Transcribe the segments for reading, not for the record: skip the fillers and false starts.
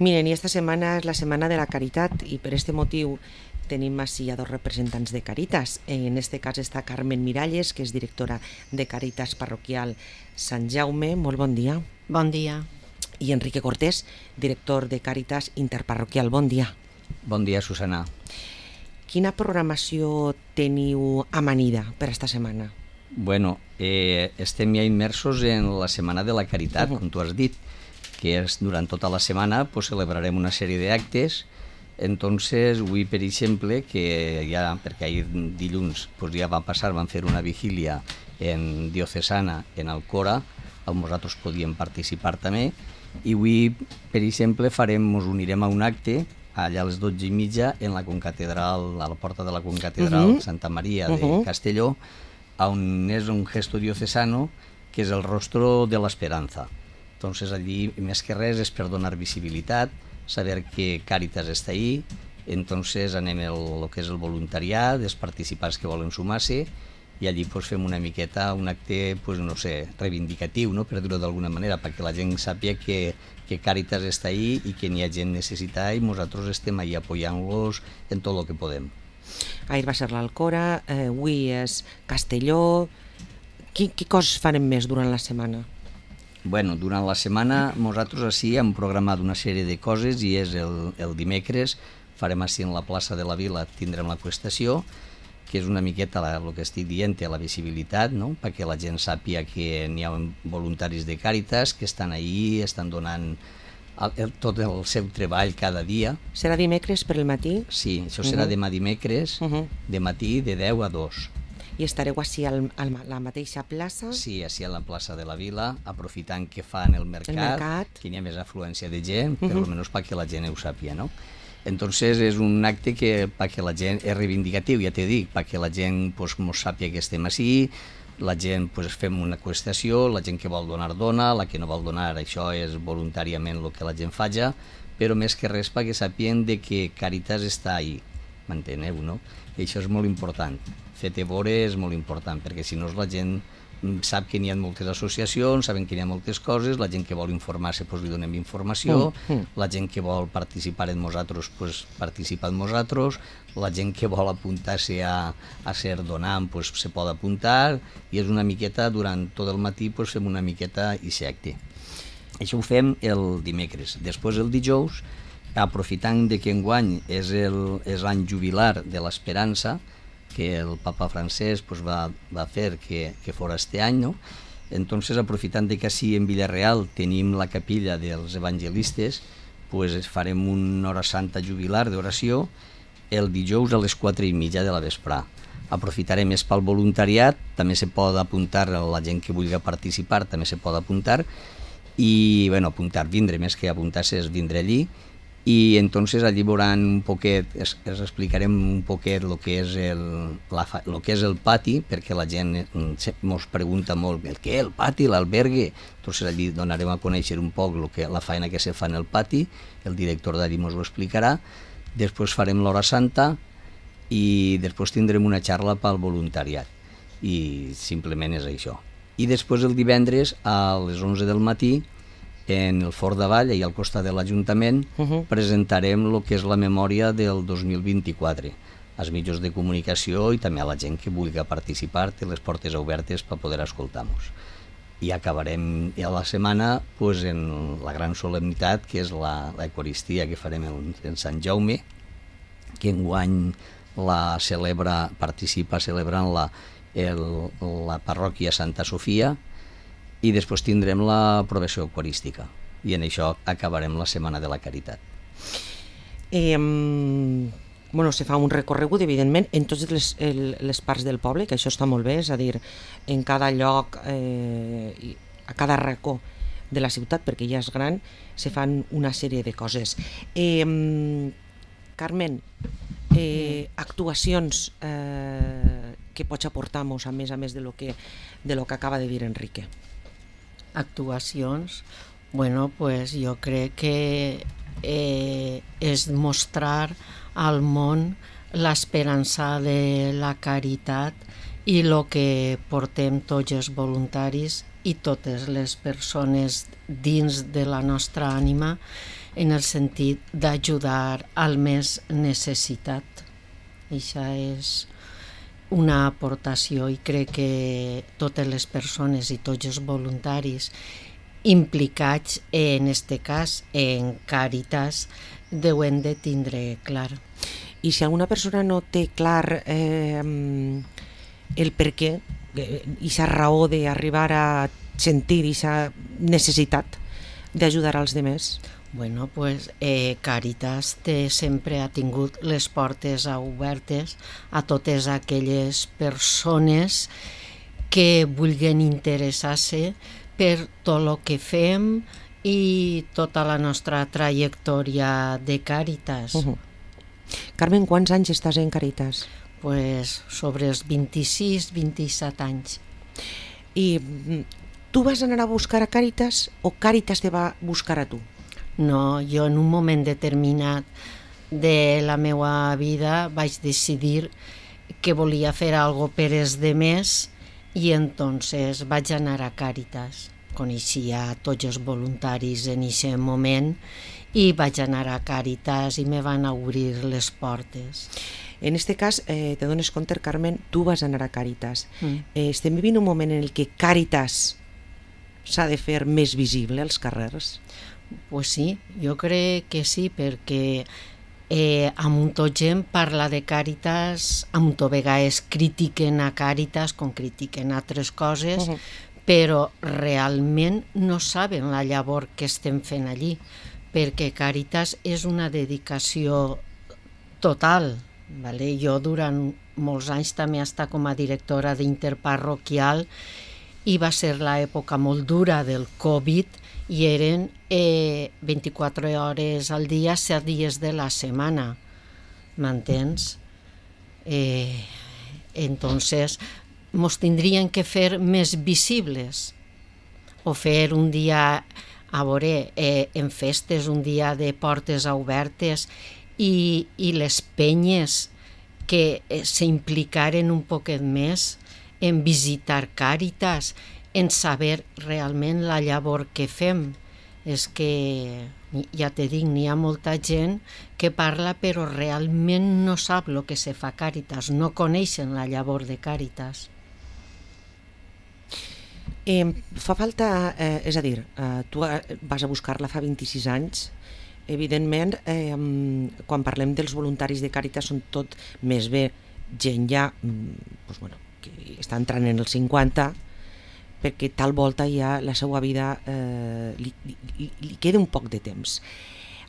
Miren, i esta setmana és la Setmana de la Caritat i per este motiu tenim així a dos representants de Caritas. En este cas està Carmen Miralles, que és directora de Caritas Parroquial Sant Jaume. Molt bon dia. Bon dia. I Enrique Cortés, director de Caritas Interparroquial. Bon dia. Bon dia, Susana. Quina programació teniu amanida per esta setmana? Bueno, estem ja immersos en la Setmana de la Caritat, com tu has dit, que és durant tota la setmana pues, celebrarem una sèrie d'actes. Entonces, avui, per exemple, que ja, perquè ahir dilluns pues, ja va passar, van fer una vigília en diocesana en Alcora, on nosaltres podíem participar també, i avui, per exemple, ens unirem a un acte allà a les 12:30 en la concatedral, a la porta de la concatedral Santa Maria de Castelló, on és un gesto diocesano que és el rostro de l'esperanza. Entonces allí, més que res, és per donar visibilitat, saber que Càritas està ahí, entonces anem el que és el voluntariat, els participants que volen sumar-se, i allí pues, fem una miqueta un acte, pues, no sé, reivindicatiu, no? Per dir-ho d'alguna manera, perquè la gent sàpiga que Càritas està ahí i que n'hi ha gent necessitada i nosaltres estem ahí apoyant-los en tot el que podem. Ahir va ser l'Alcora, avui és Castelló. Què coses farem més durant la setmana? Bueno, durant la setmana nosaltres així hem programat una sèrie de coses i és el dimecres, farem així en la plaça de la Vila, tindrem la qüestació, que és una miqueta el que estic dient, la visibilitat, no? Perquè la gent sàpiga que n'hi ha voluntaris de Càritas que estan ahí, estan donant tot el seu treball cada dia. Serà dimecres per el matí? Sí, això serà demà dimecres, de matí de 10 a 2. I estareu així a la mateixa plaça? Sí, així a la plaça de la Vila, aprofitant que fan el mercat. Que n'hi ha més afluència de gent, per almenys perquè la gent ho sàpiga, no? Entonces és un acte que perquè la gent és reivindicatiu, ja t'he dit, perquè la gent pues, mos sàpiga que estem així, la gent pues, fem una qüestació, la gent que vol donar dona, la que no vol donar això és voluntàriament el que la gent faja, però més que res perquè sàpien de que Càritas està ahí, m'enteneu, no? I això és molt important. Fer-te veure és molt important, perquè si no la gent sap que n'hi ha moltes associacions, saben que n'hi ha moltes coses, la gent que vol informar-se doncs li donem informació, la gent que vol participar en nosaltres doncs participa en nosaltres, la gent que vol apuntar-se a ser donant doncs se pot apuntar, i és una miqueta, durant tot el matí doncs fem una miqueta i acte. Això ho fem el dimecres. Després el dijous, aprofitant de que enguany és l'any jubilar de l'Esperança, que el papa francès pues, va fer que fos este any, no? Entonces, aprofitant que així en Villarreal tenim la capella dels evangelistes, pues, farem una hora santa jubilar d'oració el dijous a les 4:30 de la vesprà. Aprofitarem més pel voluntariat, també se pot apuntar, la gent que vulgui participar també se pot apuntar, i bueno, apuntar, vindre, més que apuntar-se és vindre allí, i entonces allí veuran un poquet, els explicarem un poquet el que és el pati, perquè la gent ens pregunta molt el què, el pati, l'albergue. Entonces allí donarem a conèixer un poc la feina que se fa en el pati, el director d'allí ens ho explicarà, després farem l'hora santa i després tindrem una xarra pel voluntariat, i simplement és això. I després el divendres a les 11 del matí en el Fort d'Avall, i al costat de l'Ajuntament, presentarem el que és la memòria del 2024 als mitjans de comunicació i també a la gent que vulgui participar, té les portes obertes per poder escoltar-nos. I acabarem a la setmana pues, en la gran solemnitat, que és l'Eucaristia que farem en Sant Jaume, que enguany participa celebrant-la la parròquia Santa Sofia, i després tindrem la provació eucarística, i en això acabarem la Setmana de la Caritat. Se fa un recorregut, evidentment, en totes les parts del poble, que això està molt bé, és a dir, en cada lloc, a cada racó de la ciutat, perquè ja és gran, se fan una sèrie de coses. Carmen, actuacions que pots aportar-nos, a més de lo que acaba de dir Enrique? Actuacions, bueno, pues jo crec que és mostrar al món l'esperança de la caritat i el que portem tots els voluntaris i totes les persones dins de la nostra ànima, en el sentit d'ajudar al més necessitat. Això és una aportació i crec que totes les persones i tots els voluntaris implicats en este cas en Càritas deuen de tindre clar. I si alguna persona no té clar el per què, aquesta raó d'arribar a sentir aquesta necessitat d'ajudar als demés? Bueno, pues Càritas sempre ha tingut les portes obertes a totes aquelles persones que vulguin interessar-se per tot el que fem i tota la nostra trajectòria de Càritas. Carmen, quants anys estàs en Càritas? Pues sobre els 26-27 anys. I tu vas anar a buscar a Càritas o Càritas te va buscar a tu? No, jo en un moment determinat de la meva vida vaig decidir que volia fer alguna cosa per els demés i entonces vaig anar a Càritas. Coneixia tots els voluntaris en aquest moment i vaig anar a Càritas i me van obrir les portes. En este cas, te dones compte, Carmen, tu vas anar a Càritas. Estem vivint un moment en el que Càritas s'ha de fer més visible als carrers? Pues sí, jo crec que sí, perquè amb tot gent parla de Càritas, amb tot vegades critiquen a Càritas com critiquen altres coses, però realment no saben la llavor que estem fent allí, perquè Càritas és una dedicació total. Vale? Jo durant molts anys també he estat com a directora d'interparroquial i va ser l'època molt dura del Covid i eren 24 hores al dia, 7 dies de la setmana, m'entens? Entonces, mos tindrien que fer més visibles o fer un dia, a veure, en festes, un dia de portes obertes i les penyes que s'implicaren un poquet més en visitar Càritas, en saber realment la llavor que fem. És que, ja te dic, n'hi ha molta gent que parla però realment no sap el que se fa a Càritas, no coneixen la llavor de Càritas. Fa falta, és a dir, tu vas a buscar-la fa 26 anys, evidentment, quan parlem dels voluntaris de Càritas són tot més bé gent ja que està entrant en els 50, perquè tal volta ja la seva vida li queda un poc de temps.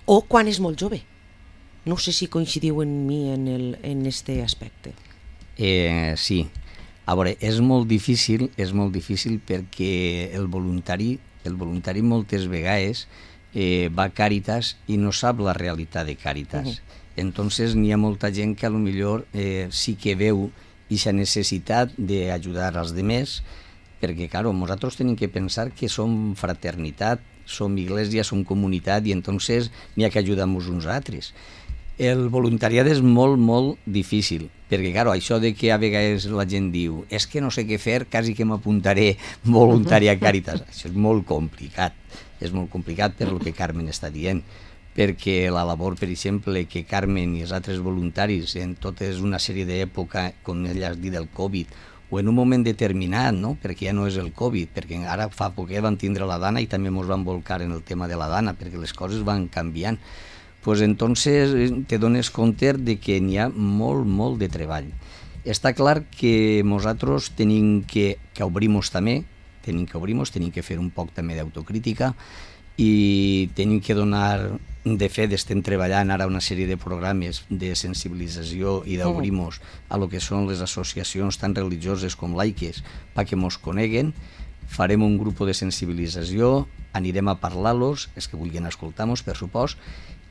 O quan és molt jove. No sé si coincidiu amb mi en este aspecte. Sí. A veure, és molt difícil perquè el voluntari moltes vegades va a Càritas i no sap la realitat de Càritas. Entonces n'hi ha molta gent que a lo millor sí que veu aquesta necessitat d'ajudar als demés, perquè, claro, nosaltres tenim que pensar que som fraternitat, som iglesia, som comunitat, i entonces n'hi ha que ajudar-nos uns altres. El voluntariat és molt, molt difícil, perquè, claro, això de que a vegades la gent diu és que no sé què fer, quasi que m'apuntaré voluntari a Càritas. Això és molt complicat per el que Carmen està dient, perquè la labor, per exemple, que Carmen i els altres voluntaris en tota una sèrie d'època, com ella has dit, del Covid, o en un moment determinat, no? Perquè ja no és el Covid, perquè ara fa poc van tindre la Dana i també ens van volcar en el tema de la Dana, perquè les coses van canviant. Pues entonces te dones compte de que n'hi ha molt, molt de treball. Està clar que nosaltres tenim que obrir-nos també, tenim que fer un poc també d'autocrítica i tenim que donar, de fet estem treballant ara una sèrie de programes de sensibilització i d'obrir-nos a lo que són les associacions tant religioses com laiques perquè mos coneguen. Farem un grup de sensibilització, anirem a parlar-los, els que vulguin escoltar-nos, per supost,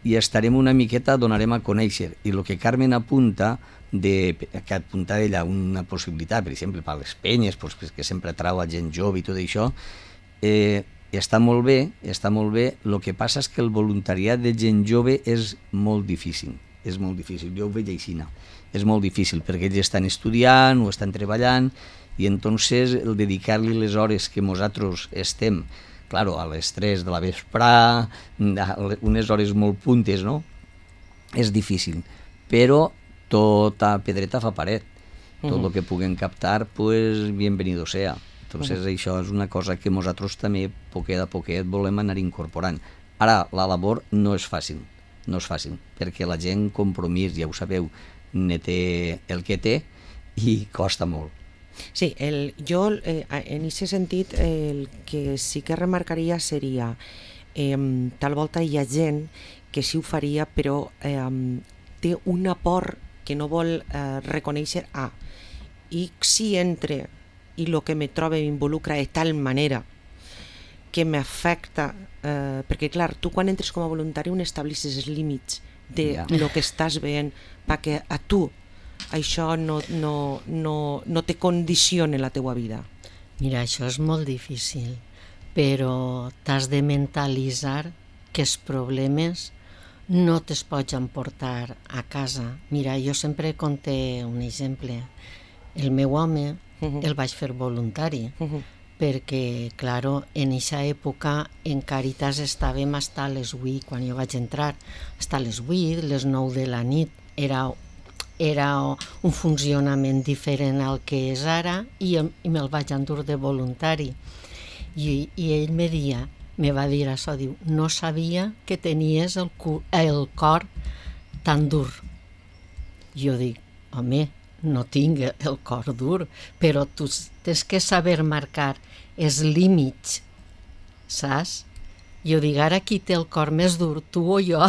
i estarem una miqueta, donarem a conèixer. I el que Carmen apunta, que apunta ella una possibilitat, per exemple, per les penyes, que sempre trau a gent jove i tot això, està molt bé, el que passa és que el voluntariat de gent jove és molt difícil, jo ho veig així, és molt difícil, perquè ells estan estudiant o estan treballant, i entonces el dedicar-li les hores que nosaltres estem claro, a les 3 de la vesprà, unes hores molt puntes, no? És difícil, però tota pedreta fa paret. Tot el que puguem captar, pues, bienvenido sea. Entonces, això és una cosa que nosaltres també, poquet a poquet, volem anar incorporant. Ara, la labor no és fàcil, perquè la gent, compromís, ja ho sabeu, ne té el que té i costa molt. Sí, jo en aquest sentit el que sí que remarcaria seria tal volta hi ha gent que sí ho faria però té una por que no vol reconèixer i si entre i el que me trobo m'involucra de tal manera que m'afecta perquè clar, tu quan entres com a voluntari on establisses els límits de lo que estàs veient perquè a tu això no te condiciona la teua vida. Mira, això és molt difícil, però t'has de mentalitzar que els problemes no te'ls pots emportar a casa. Mira, jo sempre conté un exemple. El meu home el vaig fer voluntari, perquè, claro, en aquesta època en Càritas estàvem fins a les 8, quan jo vaig entrar, fins a les 8, les 9 de la nit, era un funcionament diferent al que és ara i me'l vaig endur de voluntari. I ell me va dir això, diu, no sabia que tenies el cor tan dur. Jo dic, home, no tinc el cor dur, però tu tens que saber marcar els límits, saps? Jo dic, ara qui té el cor més dur, tu o jo,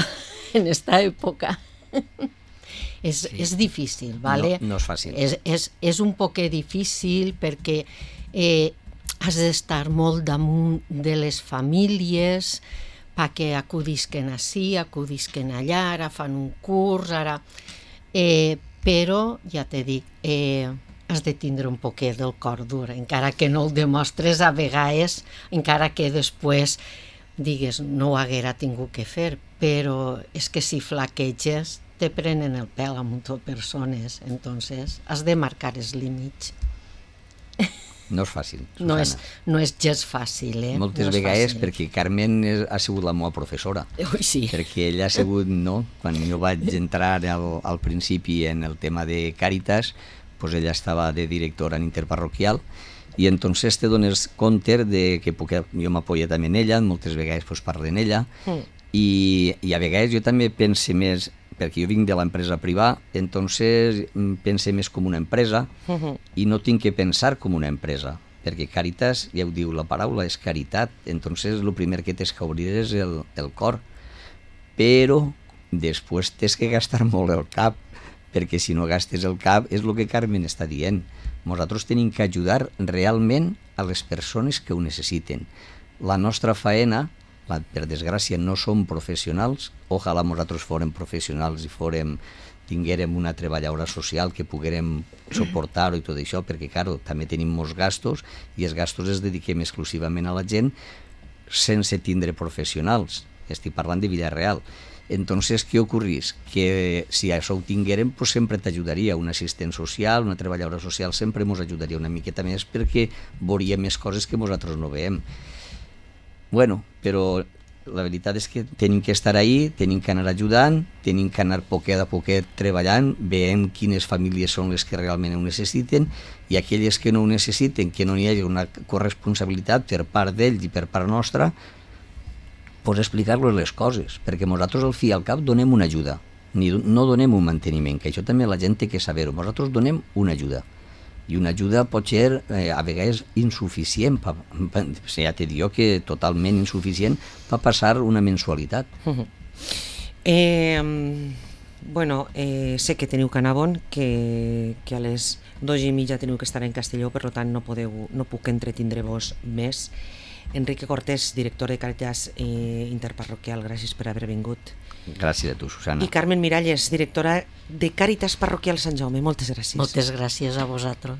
en aquesta època. És difícil, ¿vale? No és fàcil. És un poquet difícil perquè has d'estar molt damunt de les famílies perquè acudisquen ací, acudisquen allà, ara fan un curs, ara... però, ja te dic, has de tindre un poquet del cor dur, encara que no el demostres a vegades, encara que després digues no ho haguera tingut que fer, però és que si flaqueges te prenen el pèl a moltes persones, entonces has de marcar els límits. No és fàcil, Susana. No és gens fàcil, Moltes vegades, perquè Carmen ha sigut la meva professora. Ui, sí. Perquè ella ha sigut, no? Quan jo vaig entrar al principi en el tema de Càritas, pues ella estava de directora en interparroquial, i entonces te dones compte de que jo m'apoyo també en ella, moltes vegades pues, parlo en ella, i a vegades jo també pense més, perquè jo vinc de l'empresa privada, entonces pense més com una empresa i no tinc que pensar com una empresa, perquè Càritas, ja ho diu la paraula, és caritat, entonces el primer que tens que obrir és el cor, però després tens que gastar molt el cap, perquè si no gastes el cap és el que Carmen està dient. Nosaltres tenim que ajudar realment a les persones que ho necessiten. La nostra faena, per desgràcia, no som professionals, ojalà nosaltres fórem professionals i tinguérem una treballadora social que poguérem suportar-ho i tot això, perquè, claro, també tenim molts gastos i els gastos els dediquem exclusivament a la gent sense tindre professionals. Estic parlant de vida real. Entonces, què ocorrís? Que si això ho tinguérem, pues sempre t'ajudaria un assistent social, una treballadora social, sempre ens ajudaria una miqueta més perquè veuríem més coses que nosaltres no veiem. Bueno, però la veritat és que tenim que estar ahí, tenim que anar ajudant, tenim que anar poquet a poquet treballant, veient quines famílies són les que realment ho necessiten i aquelles que no ho necessiten, que no hi hagi una corresponsabilitat per part d'ells i per part nostra, pues explicar-los les coses, perquè nosaltres al fi i al cap donem una ajuda, no donem un manteniment, que això també la gent té que saber-ho, nosaltres donem una ajuda. I una ajuda pot ser a vegades insuficient, ja t'he dit que totalment insuficient per passar una mensualitat. Bueno, sé que teniu que anar bon, que a les 2:30 teniu que estar en Castelló, per tant no puc entretindre-vos més. Enrique Cortés, director de Càritas Interparroquial, gràcies per haver vingut. Gràcies a tu, Susana. I Carmen Miralles, directora de Càritas Parroquial Sant Jaume, moltes gràcies. Moltes gràcies a vosaltres.